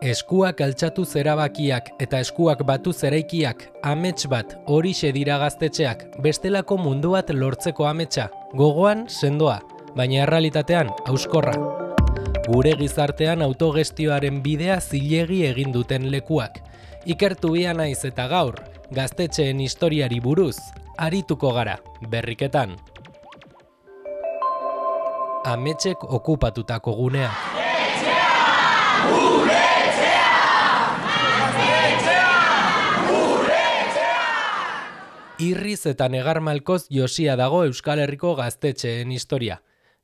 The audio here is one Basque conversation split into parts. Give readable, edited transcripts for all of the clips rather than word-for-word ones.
Eskuak altxatu zerabakiak eta eskuak batu zeraikiak, amets bat, horixe dira gaztetxeak, bestelako mundu bat lortzeko ametsa, gogoan sendoa, baina errealitatean hauskorra. Gure gizartean autogestioaren bidea zilegi egin duten lekuak. Ikertu ia naiz eta gaur, gaztetxeen historiari buruz, arituko gara, berriketan. Ametsek okupatutako guneak. Irriz eta negar malkoz josia dago Euskal Herriko gaztetxeen historia.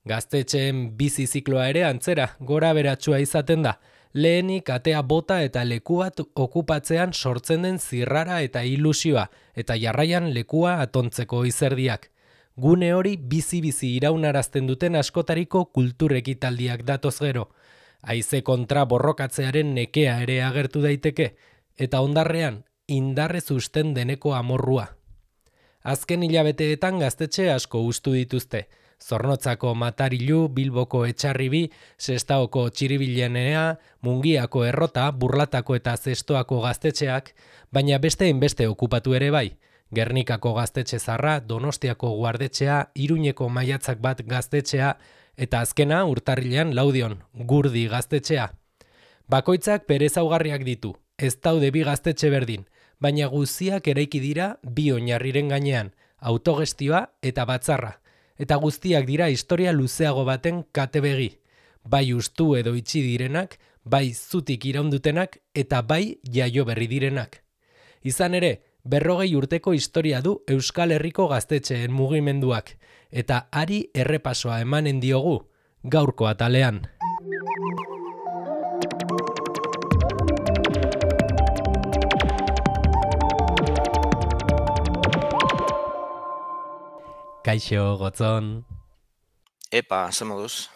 Gaztetxeen bizi zikloa ere antzera, gora beratsua izaten da. Lehenik atea bota eta leku bat okupatzean sortzen den zirrara eta ilusioa, eta jarraian lekua atontzeko izerdiak. Gune hori bizi-bizi iraunarazten duten askotariko kultur ekitaldiak datoz gero. Haize kontra borrokatzearen nekea ere agertu daiteke, eta ondarrean indarrez usten deneko amorrua. Azken hilabeteetan gaztetxe asko hustu dituzte. Zornotzako Matarilu, Bilboko Etxarribi, Sestaoko Txiribilenea, Mungiako Errota, Burlatako eta Zestoako gaztetxeak, baina beste hainbeste okupatu ere bai. Gernikako gaztetxe zarra, Donostiako guardetxea, Iruñeko Maiatzak bat gaztetxea, eta azkena Urtarrilean Laudion, Gurdi gaztetxea. Bakoitzak bere ezaugarriak ditu, ez daude bi gaztetxe berdin, baina guztiak eraiki dira bi oinarriren gainean, autogestioa eta batzarra. Eta guztiak dira historia luzeago baten katebegi. Bai ustu edo itxi direnak, bai zutik iraundutenak eta bai jaio berri direnak. Izan ere, 40 urteko historia du Euskal Herriko gaztetxeen mugimenduak, eta hari errepasoa emanen diogu, gaurko atalean. Kaixo, Gotzon. Epa, ze moduz?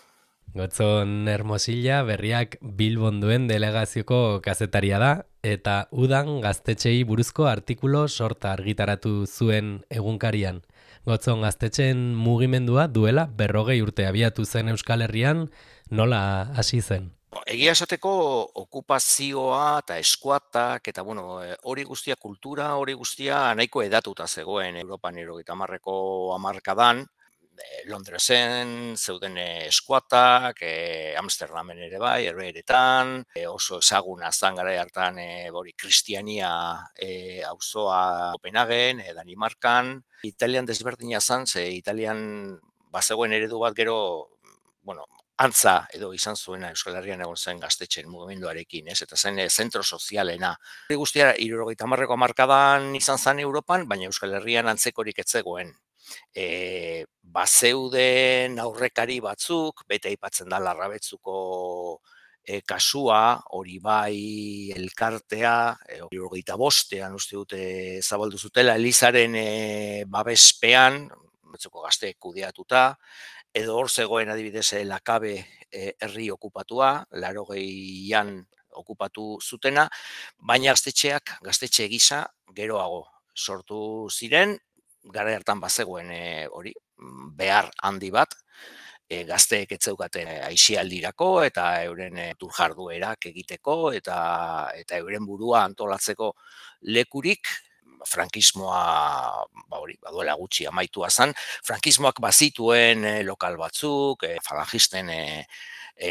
Gotzon Hermosilla berriak Bilbon duen delegazioko kazetaria da, eta udan gaztetxei buruzko artikulo sorta argitaratu zuen egunkarian. Gotzon, gaztetxeen mugimendua duela 40 urte abiatu zen Euskal Herrian, nola hasi zen? Egia esateko okupazioa eta eskuatak eta hori guztia kultura, hori guztia nahiko edatuta zegoen Europan 70ko hamarkadan. Londresen zeuden eskuatak, Amsterdamen ere bai, Herbeheretan, oso ezaguna zan garai hartan Kristiania auzoa Kopenhagen, Danimarkan. Italian desberdina zan, ze Italian bazegoen eredu bat gero, antza edo izan zuena Euskal Herrian egon zen gaztetxeen mugimenduarekin, eta zen zentro sozialena. Hori guztia 70ko hamarkadan izan zen Europan, baina Euskal Herrian antzekorik ez zegoen. Bazeuden aurrekari batzuk, bete aipatzen da Larrabetzuko kasua, hori bai elkartea, 75ean uste dute zabaldu zutela Elizaren babespean, Betzuko gazteek kudeatuta, edo hor zegoen adibidez Lakabe herri okupatua, 80an okupatu zutena, baina gaztetxe gisa geroago sortu ziren, garai hartan bazegoen hori behar handi bat, gazteek ez zeukaten aisialdirako eta euren jarduerak egiteko eta euren burua antolatzeko lekurik. Frankismoa baduela gutxi amaitua zen, frankismoak bazituen lokal batzuk, falangisten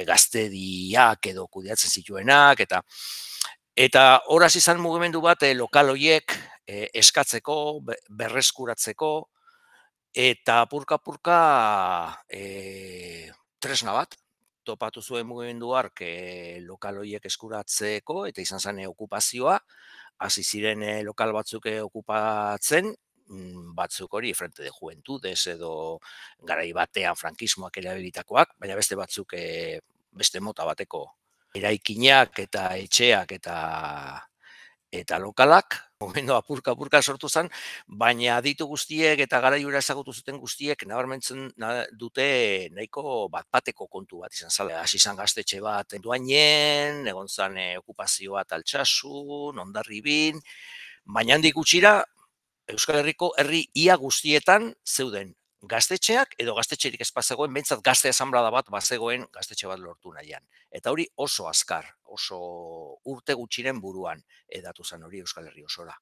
gaztediak edo kudeatzen zituenak, eta horaz izan mugimendu bat lokal horiek eskatzeko, berreskuratzeko, eta purka-purka tresna bat topatu zuen mugimendu hark lokal horiek eskuratzeko, eta izan zen okupazioa, hasi ziren lokal batzuk okupatzen, batzuk hori Frente de Juventudes edo garai batean frankismoak erabilitakoak, baina beste batzuk beste mota bateko eraikinak eta etxeak eta lokalak, momentu apurka sortu zen, baina aditu guztiek eta garaiura ezagutu zuten guztiek nabarmentzen dute nahiko bat-bateko kontu bat izan zala. Hasi izan gaztetxe bat Duainen, egon zen okupazioa Altsasun, Hondarribin, baina handik gutxira Euskal Herriko herri ia guztietan zeuden gaztetxeak edo gaztetxerik ez bazegoen, behintzat gazte asanblada bat bazegoen gaztetxe bat lortu nahian. Eta hori oso azkar, oso urte gutxiren buruan edatu zen hori Euskal Herri osora.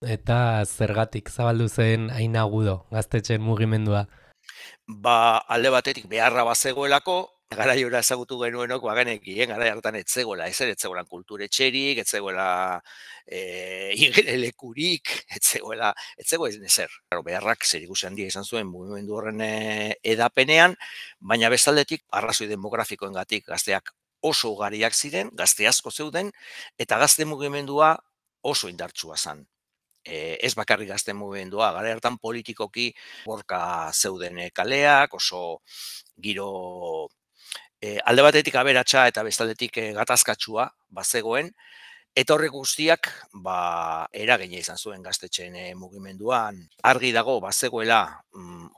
Eta zergatik zabaldu zen hain agudo gaztetxeen mugimendua? Alde batetik beharra bazegoelako, garaiora ezagutu genuenok bagenekien, garai hartan etzegoela, etzegoelan kulturetxerik, etzegoela igelekurik, etzegoen ezer. Claro, beharrak zerikusi handia izan zuen mugimendu horren edapenean, baina bestaldetik arrazoi demografikoengatik gazteak oso ugariak ziren, gazte asko zeuden, eta gazte mugimendua oso indartsua zen. Ez bakarrik gazte mugimendua, gara hartan politikoki borka zeuden kaleak, oso giro alde batetik aberatsa eta bestaldetik gatazkatsua bazegoen, eta horrek guztiak eragina izan zuen gaztetxeen mugimenduan. Argi dago bazegoela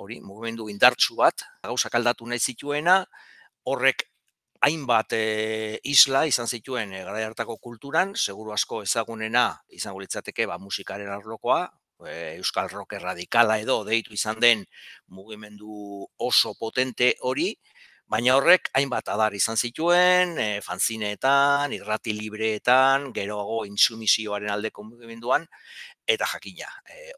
hori mugimendu indartsu bat, gauzak aldatu nahi zituena, horrek hainbat isla izan zituen garai hartako kulturan, seguru asko ezagunena izango litzateke musikaren arlokoa, euskal rock radikala edo deitu izan den mugimendu oso potente hori, baina horrek hainbat adar izan zituen, fanzineetan, irrati libreetan, geroago intsumisioaren aldeko mugimenduan, eta jakina,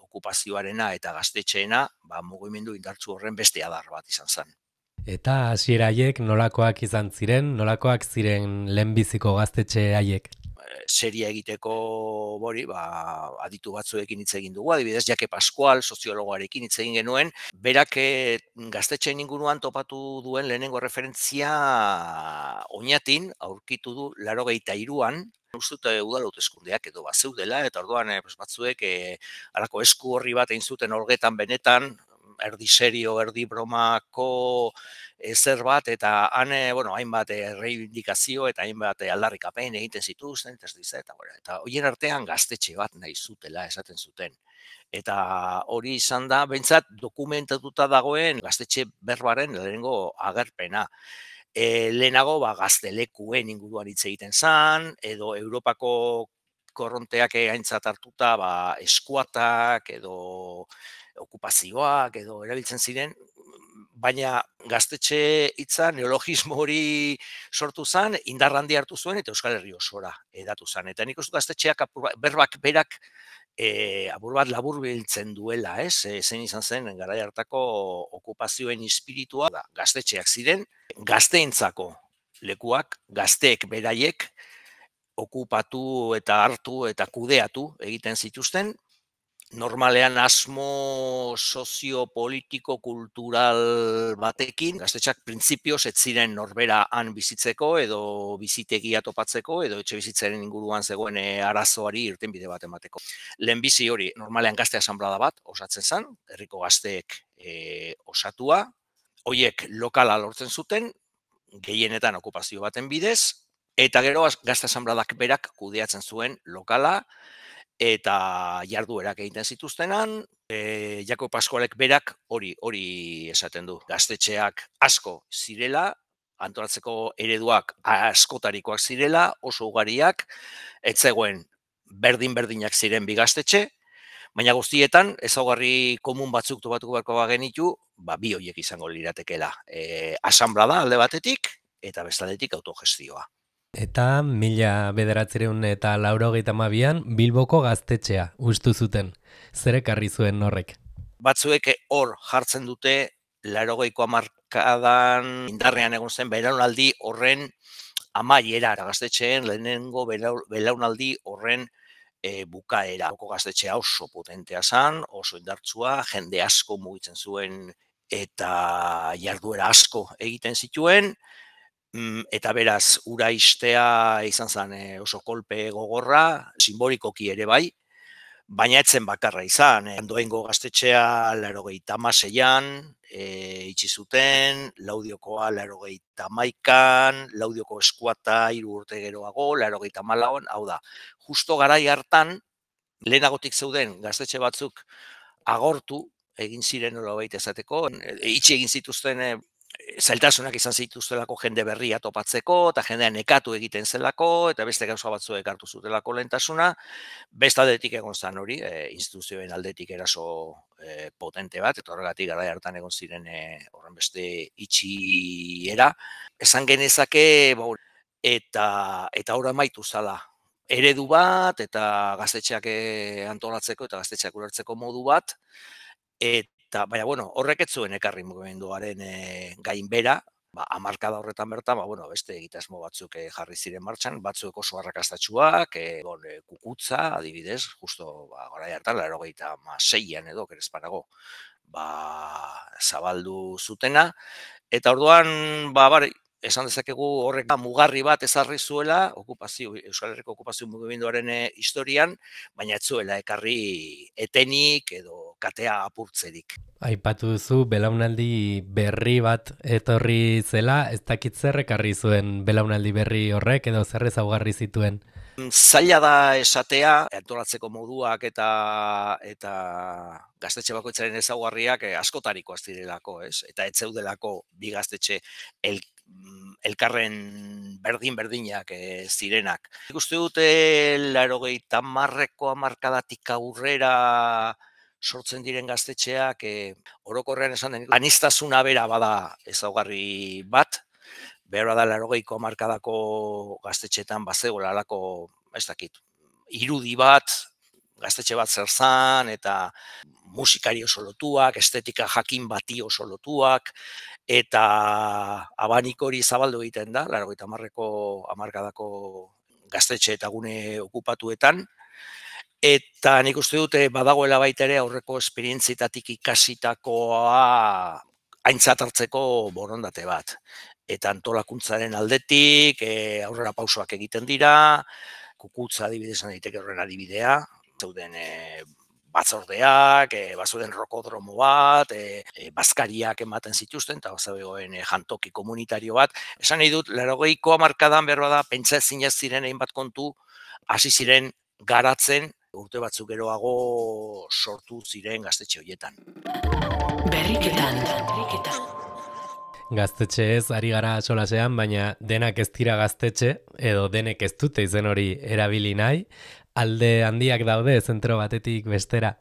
okupazioarena eta gaztetxeena mugimendu indartsu horren beste adar bat izan zen. Eta hasiera haiek nolakoak izan ziren, nolakoak ziren lehenbiziko gaztetxe haiek? Seria egiteko aditu batzuekin hitz egin dugu, adibidez Jake Pascual soziologoarekin hitz egin genuen, berak gaztetxeen inguruan topatu duen lehenengo referentzia Oñatin aurkitu du 83an, uste dut udal hauteskundeak edo bazeudela, eta orduan batzuek halako esku horri bat egin zuten olgetan benetan, erdi serio, erdi bromako zer bat, eta han, hainbat reivindikazio eta hainbat aldarrikapen egiten zituzten, eta horien artean gaztetxe bat nahi zutela esaten zuten. Eta hori izan da, behintzat dokumentatuta dagoen gaztetxe berbaren lehenengo agerpena. Lehenago gaztelekuen inguruan hitz egiten zan, edo Europako korronteak aintzat hartuta eskuatak edo okupazioak edo erabiltzen ziren, baina gaztetxe hitza neologismo hori sortu zen, indar handi hartu zuen eta Euskal Herri osora edatu zen. Eta nik uste gaztetxeak berbak berak apur bat laburbiltzen duela, zein izan zen garai hartako okupazioen espiritua, gaztetxeak ziren, gazteentzako lekuak, gazteek beraiek okupatu eta hartu eta kudeatu egiten zituzten, normalean asmo soziopolitiko-kultural batekin, gaztetxeak printzipioz ez ziren norbera han bizitzeko edo bizitegia topatzeko edo etxe bizitzaren inguruan zegoen arazoari irtenbide bat emateko. Lehenbizi hori normalean gazte asanblada bat osatzen zen, herriko gazteek osatua, horiek lokala lortzen zuten, gehienetan okupazio baten bidez, eta gero gazte asanbladak berak kudeatzen zuen lokala, eta jarduerak egiten zituztenan, Jakob Pascualek berak hori esaten du. Gaztetxeak asko zirela, antolatzeko ereduak askotarikoak zirela, oso ugariak, ez zegoen berdin-berdinak ziren bi gaztetxe, baina guztietan ezaugarri komun batzuk topatuko beharko bagenitu, bi horiek izango liratekela. Asanblada alde batetik eta bestaldetik autogestioa. Eta 1982an Bilboko gaztetxea ustu zuten. Zer ekarri zuen horrek? Batzuek hor jartzen dute 80ko hamarkadan indarrean egon zen belaunaldi horren amaiera, gaztetxeen lehenengo belaunaldi horren bukaera. Bilboko gaztetxea oso potentea zen, oso indartsua, jende asko mugitzen zuen eta jarduera asko egiten zituen, eta beraz, ura istea izan zen oso kolpe gogorra, simbolikoki ere bai, baina etzen bakarra izan. Ondoengo gaztetxea 86an itxi zuten, Laudiokoa 81an, Laudioko eskuata 3 urte geroago, 84an, hau da, justo garai hartan, lehenagotik zeuden gaztetxe batzuk agortu, egin ziren nolabait esateko, itxi egin zituzten zailtasunak izan zituztelako jende berria topatzeko, eta jendea nekatu egiten zelako, eta beste gauza batzuek hartu zutelako lehentasuna, beste aldetik egon zen hori, instituzioen aldetik eraso potente bat, eta horregatik garai hartan egon ziren horren beste itxiera. Esan genezake, eta hor amaitu zala. Eredu bat, eta gaztetxeak antolatzeko, eta gaztetxeak ulertzeko modu bat, eta, baina, horrek ez zuen ekarri mugimenduaren gainbera, hamarkada horretan bertan, beste egitasmo batzuk jarri ziren martxan, batzuk oso arrakastatsuak, kukutza, adibidez, justo garai hartan, 86an edo, kerezpanago, zabaldu zutena, eta orduan, esan dezakegu horrek mugarri bat ezarri zuela Euskal Herriko okupazio mugimenduaren historian, baina ez zuela ekarri etenik edo katea apurtzerik. Aipatu duzu belaunaldi berri bat etorri zela, ez dakit zer ekarri zuen belaunaldi berri horrek edo zer ezaugarri zituen? Zaila da esatea, antolatzeko moduak eta gaztetxe bakoitzaren ezaugarriak askotarikoak zirelako, ez? Eta ez zeudelako bi gaztetxe elkarren berdin-berdinak zirenak. Nik uste dute 80ko hamarkadatik aurrera sortzen diren gaztetxeak, orokorrean esan den, aniztasuna bera bada ezaugarri bat, behar da 80ko hamarkadako gaztetxetan bazegoela alako, ez dakit, irudi bat, gaztetxe bat zer zan, eta musikari oso lotuak, estetika jakin bati oso lotuak, eta abanik hori zabaldu egiten da, 80ko hamarkadako gaztetxe eta gune okupatuetan, eta nik uste dute badagoela baita ere aurreko esperientzietatik ikasitakoa aintzat hartzeko borondate bat. Eta antolakuntzaren aldetik aurrera pausoak egiten dira, kukutza adibidez daiteke horren adibidea, zeuden batzordeak, bazuden rokodromo bat, bazkariak ematen zituzten, eta bazegoen jantoki komunitario bat. Esan nahi dut, 80ko hamarkadan behar bada, pentsa ezinez ziren hainbat kontu, hasi ziren garatzen, urte batzuk geroago sortu ziren gaztetxe horietan. Berriketan. Gaztetxe ez, ari gara solasean, baina denak ez dira gaztetxe, edo denek ez dute izen hori erabili nahi, alde handiak daude zentro batetik bestera.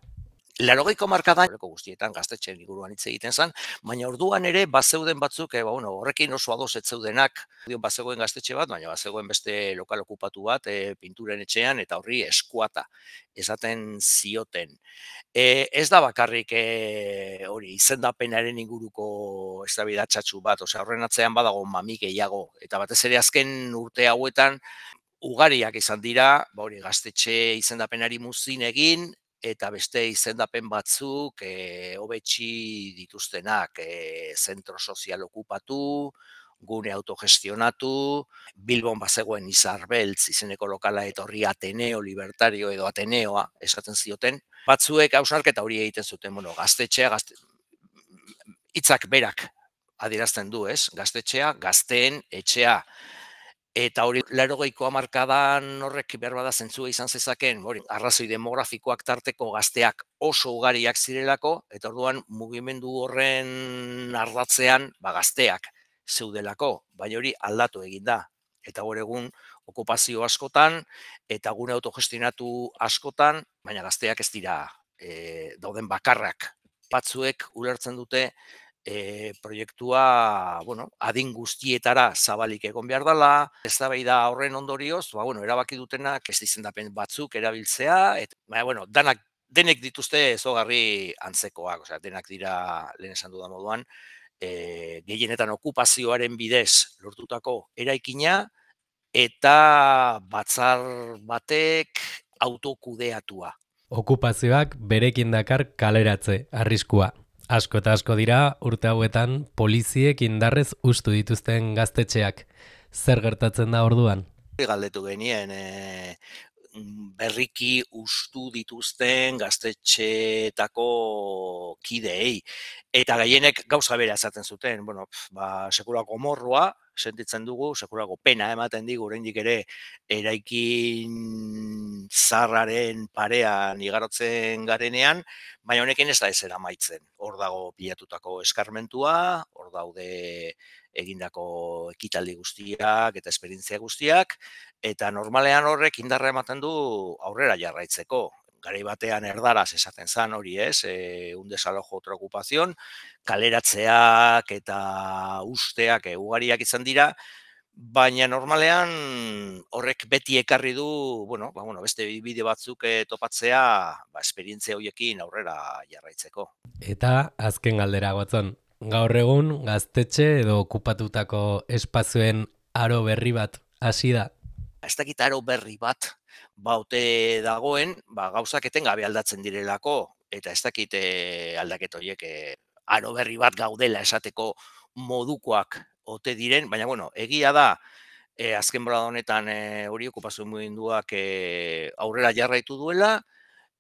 80ko hamarkadan guztietan gaztetxeen inguruan hitz egiten zen, baina orduan ere bazeuden batzuk, horrekin oso ados ez zeudenak, bazegoen gaztetxe bat, baina bazegoen beste lokal okupatu bat, pinturen etxean, eta horri eskuata esaten zioten. Ez da bakarrik hori izendapenaren inguruko eztabaidatxatxu bat, horren atzean badago mami gehiago, eta batez ere azken urte hauetan ugariak izan dira, gaztetxe izendapenari muzin egin, eta beste izendapen batzuk hobetsi dituztenak, zentro sozial okupatu, gune autogestionatu, Bilbon bazegoen Izarbeltz izeneko lokala eta horri Ateneo Libertario edo Ateneoa esaten zioten. Batzuek hausnarketa hori egiten zuten, gaztetxea, hitzak berak adierazten du, ez? Gaztetxea, gazteen etxea. Eta hori 80ko hamarkadan horrek behar bada zentzua izan zezaken, arrazoi demografikoak tarteko gazteak oso ugariak zirelako, eta orduan mugimendu horren ardatzean gazteak zeudelako, baina hori aldatu egin da. Eta hor egun okupazio askotan, eta gune autogestionatu askotan, baina gazteak ez dira dauden bakarrak. Batzuek ulertzen dute proiektua adin guztietara zabalik egon behar dela, eztabaida horren ondorioz, erabaki dutenak ez izendapen batzuk erabiltzea, eta denek dituzte ezogarri antzekoak, denak dira lehen esan dudan moduan, gehienetan okupazioaren bidez lortutako eraikina, eta batzar batek autokudeatua. Okupazioak berekin dakar kaleratze, arriskua. Asko eta asko dira, urte hauetan, poliziek indarrez ustu dituzten gaztetxeak. Zer gertatzen da orduan? Galdetu genien, berriki ustu dituzten gaztetxeetako kideei. eta gehienek gauza bera esaten zuten, sekulako morrua, sentitzen dugu, sekulako pena ematen digu, oraindik ere eraikin zaharraren parean igarotzen garenean, baina honekin ez da ezera amaitzen. Hor dago pilatutako eskarmentua, hor daude egindako ekitaldi guztiak eta esperientzia guztiak, eta normalean horrek indarra ematen du aurrera jarraitzeko. Garai batean erdaraz esaten zan hori un desalojo otra ocupación, kaleratzeak eta usteak ugariak izan dira, baina normalean horrek beti ekarri du, beste bide batzuk topatzea, esperientzia horiekin aurrera jarraitzeko. Eta azken galdera Gotzon, gaur egun gaztetxe edo okupatutako espazioen aro berri bat hasi da? Ez dakit aro berri bat baute dagoen, gauzak etengabe aldatzen direlako, eta ez dakit aldaket horiek aro berri bat gaudela esateko modukoak ote diren, baina egia da, azken bolada honetan hori okupazio mugimenduak aurrera jarraitu duela,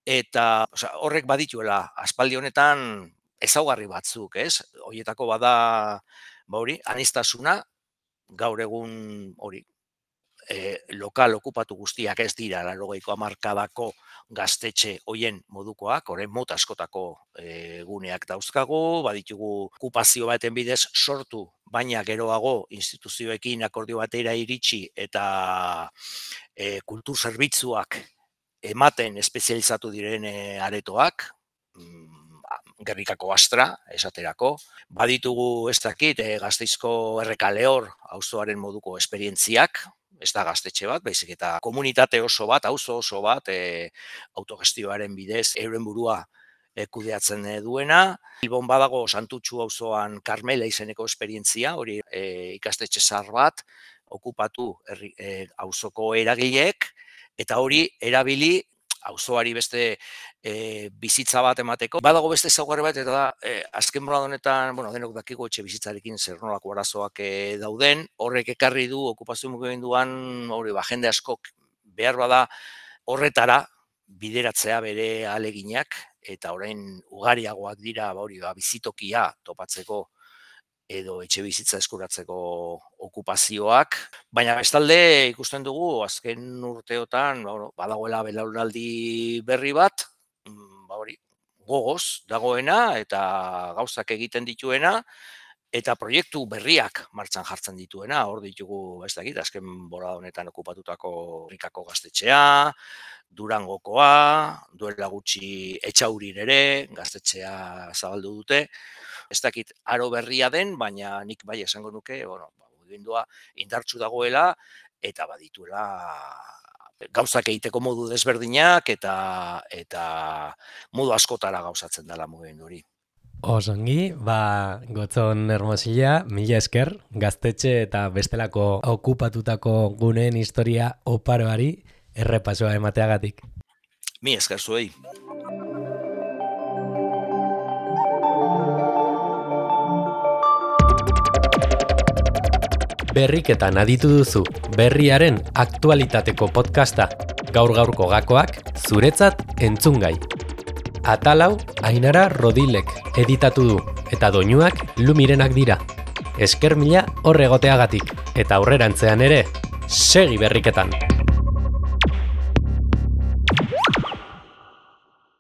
eta horrek badituela aspaldi honetan ezaugarri batzuk, ez? Horietako bada aniztasuna, gaur egun hori, lokal okupatu guztiak ez dira 80ko hamarkadako gaztetxe hoien modukoak, orain mota askotako guneak dauzkagu, baditugu okupazio baten bidez sortu, baina geroago instituzioekin akordio batera iritsi eta kultur zerbitzuak ematen espezializatu diren aretoak, Gernikako Astra, esaterako. Baditugu ez dakit Gasteizko Errekalehor auzoaren moduko esperientziak, ez da gaztetxe bat, baizik eta komunitate oso bat, auzo oso bat, autogestioaren bidez, euren burua kudeatzen duena. Bilbon badago Santutxu auzoan Karmela izeneko esperientzia, hori ikastetxe zahar bat, okupatu auzoko eragileek, eta hori erabili auzoari beste bizitza bat emateko. Badago beste ezaugarri bat, eta da, azken bolada honetan, denok dakigu etxe bizitzarekin zer nolako arazoak dauden, horrek ekarri du okupazio mugimenduan, jende askok behar bada horretara bideratzea bere ahaleginak, eta orain ugariagoak dira bizitokia topatzeko edo etxe bizitza eskuratzeko okupazioak, baina bestalde ikusten dugu azken urteotan badagoela belaunaldi berri bat, gogoz dagoena eta gauzak egiten dituena eta proiektu berriak martxan jartzen dituena. Hor ditugu, ez dakit, azken bolada honetan okupatutako Rikako gaztetxea, Durangokoa, duela gutxi Etxaurin ere gaztetxea zabaldu dute. Ez dakit aro berria den, baina nik bai esango nuke, mugimendua indartsu dagoela eta badituela gauzak egiteko modu desberdinak eta modu askotara gauzatzen dela mugimendu hori. Osongi, Gotzon Hermosilla, mila esker, gaztetxe eta bestelako okupatutako guneen historia oparoari errepasoa emateagatik. Mi esker zuei. Berriketan aditu duzu berriaren aktualitateko podcasta, gaur-gaurko gakoak zuretzat entzungai. Atalau Ainara Rodilek editatu du eta doinuak Lumirenak dira. Esker mila hor egoteagatik eta aurrerantzean ere segi berriketan.